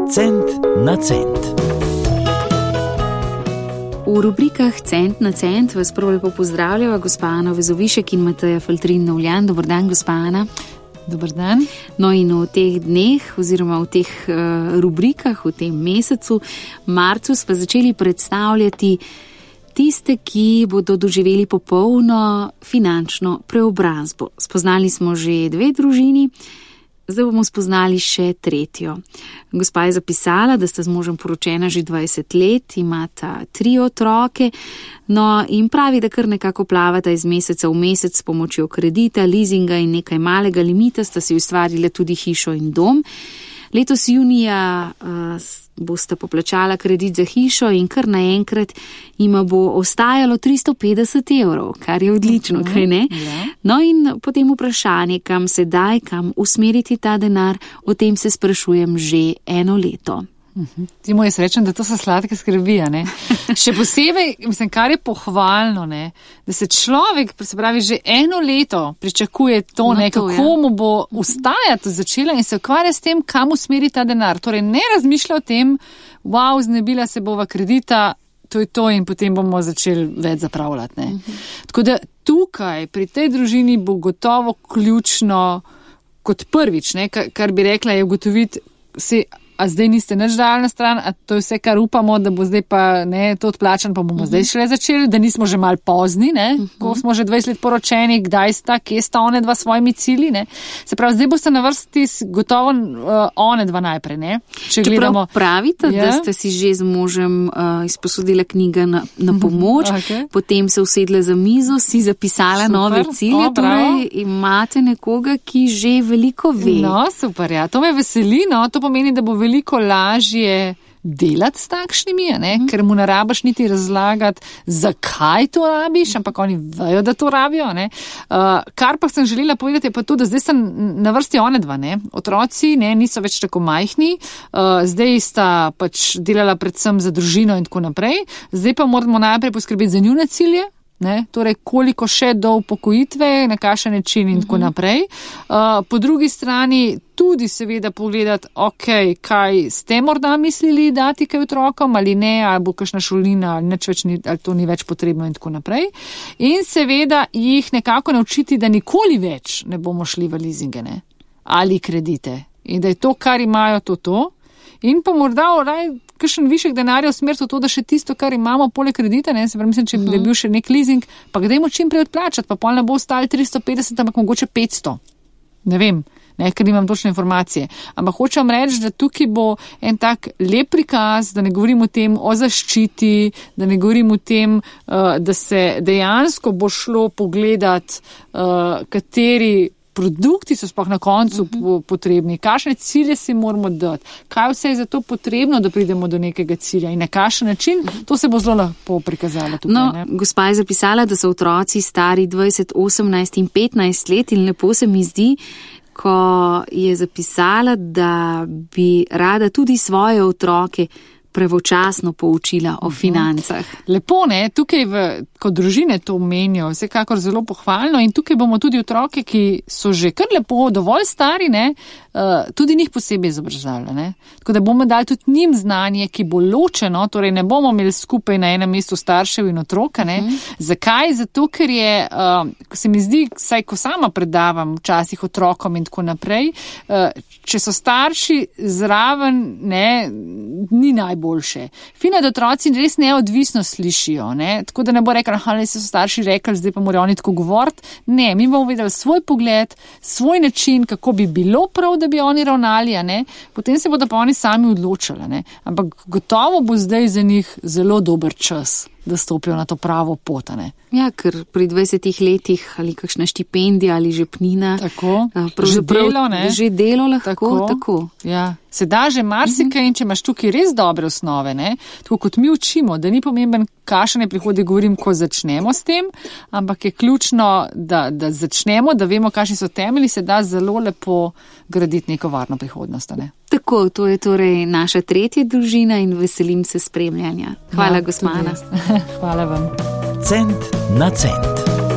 Cent na cent. V rubrikah Cent na cent vas prvo lepo pozdravljava gospa Ana Vezovišek in Mateja Faltrin-Novljan. Dobar dan, gospa Ana. Dobar dan. No in v teh dneh oziroma v teh rubrikah, v tem mesecu, marcu, sva začeli predstavljati tiste, ki bodo doživeli popolno finančno preobrazbo. Spoznali smo že 2 družini, zdaj bomo spoznali še 3. Gospa je zapisala, da sta z možem poročena že 20 let, imata 3 otroke, no in pravi, da kar nekako plavata iz meseca v mesec s pomočjo kredita, leasinga in nekaj malega limita, sta si ustvarila tudi hišo in dom. Letos junija bosta poplačala kredit za hišo in kar naenkrat jima bo ostajalo 350 evrov, kar je odlično, kaj ne? Ja. No in potem vprašanje, kam sedaj, kam usmeriti ta denar, o tem se sprašujem že 1 leto. Ti mu jaz rečem, da to so sladke skrbi, ne? Še posebej, mislim, kar je pohvalno, ne? Da se človek, se pravi, že 1 leto pričakuje to, No, ne, to, kako mu bo ustajati začela in se ukvarja s tem, kam usmeri ta denar. Torej ne razmišlja o tem, wow, znebila se bova kredita, to je to in potem bomo začeli več zapravljati, ne? Tako da tukaj, pri tej družini bo gotovo ključno kot prvič, ne, kar bi rekla, je ugotoviti si, a zdaj niste nič dali na stran, a to je vse, kar upamo, da bo zdaj pa ne, to odplačan, pa bomo zdaj šele začeli, da nismo že mal pozni, ne, ko smo že 20 let poročeni, kdaj sta, kje sta one dva svojimi cilji, ne. Se pravi, zdaj boste na vrsti gotovo one dva najprej, ne. Čeprav gledamo, pravite, da ste si že z možem izposodila knjiga na pomoč, Okay. potem se usedla za mizo, si zapisala Super. nove cilje, torej imate nekoga, ki že veliko ve. No, super, ja, to me veseli, no, to pomeni, da bo veliko lažje delati s takšnimi, ne? Ker mu ne rabiš niti razlagati, zakaj to rabiš, ampak oni vejo, da to rabijo. Ne? Kar pa sem želela povedati, je pa to, da zdaj sem na vrsti one dva. Ne? Otroci niso več tako majhni, zdaj sta pač delala predvsem za družino in tako naprej, zdaj pa moramo najprej poskrbeti za njune cilje. Ne, torej, koliko še do upokojitve, na kakšen način in tako naprej. Po drugi strani tudi seveda pogledati, kaj ste morda mislili dati kaj otrokom ali ne, ali bo kakšna šolnina, ali to ni več potrebno in tako naprej. In seveda jih nekako naučiti, da nikoli več ne bomo šli v leasinge, ne, ali kredite. In da je to, kar imajo, to. In pa morda kakšen višek denarja usmeriti v to, da še tisto, kar imamo poleg kredita, ne, se pravi, mislim, če bi bil še nek leasing, pa kdaj mu čim prej odplačati, pa pol ne bo ostali 350, ampak mogoče 500. Ne vem, ne, ker nimam točne informacije. Ampak hočem reči, da tukaj bo en tak lep prikaz, da ne govorim o tem o zaščiti, da ne govorim o tem, da se dejansko bo šlo pogledati, kateri produkti so sploh na koncu potrebni, kakšne cilje si moramo dati, kaj vse je za to potrebno, da pridemo do nekega cilja in na kakšen način, to se bo zelo lepo prikazalo tukaj. No, gospa je zapisala, da so otroci stari 20, 18 in 15 let in lepo se mi zdi, ko je zapisala, da bi rada tudi svoje otroke pravočasno poučila o financah. Lepo, ne, tukaj kot družine to menijo, vsekakor zelo pohvalno in tukaj bomo tudi otroke, ki so že kar lepo, dovolj stari, ne, tudi njih posebej izobraževali, ne. Tako da bomo dali tudi njim znanje, ki bo ločeno, torej ne bomo imeli skupaj na enem mestu staršev in otroka, ne. Zakaj? Zato, ker je, se mi zdi, saj ko sama predavam včasih otrokom in tako naprej, če so starši zraven, ne, ni najboljše. Fino, da otroci res neodvisno slišijo, ne, tako da ne bo rekel, ali so starši rekli, zdaj pa morajo oni tako govoriti. Ne, mi bomo videli svoj pogled, svoj način, kako bi bilo prav, da bi oni ravnali, ne, potem se bodo pa oni sami odločili, ne, ampak gotovo bo zdaj za njih zelo dober čas, da stopijo na to pravo pot, ne. Ja, ker pri 20 letih ali kakšna štipendija ali žepnina. Tako, že delo, ne? Že delo lahko, tako. Ja, se da že marsikaj in če imaš tukaj res dobre osnove, ne, tako kot mi učimo, da ni pomemben, kakšen je prihodek, govorim, ko začnemo s tem, ampak je ključno, da začnemo, da vemo, kakšni so temelji, se da zelo lepo graditi neko varno prihodnost, ne. Tako, to je torej naša 3. družina in veselim se spremljanja. Hvala, gospa Ana. Hvala vam. Cent na cent.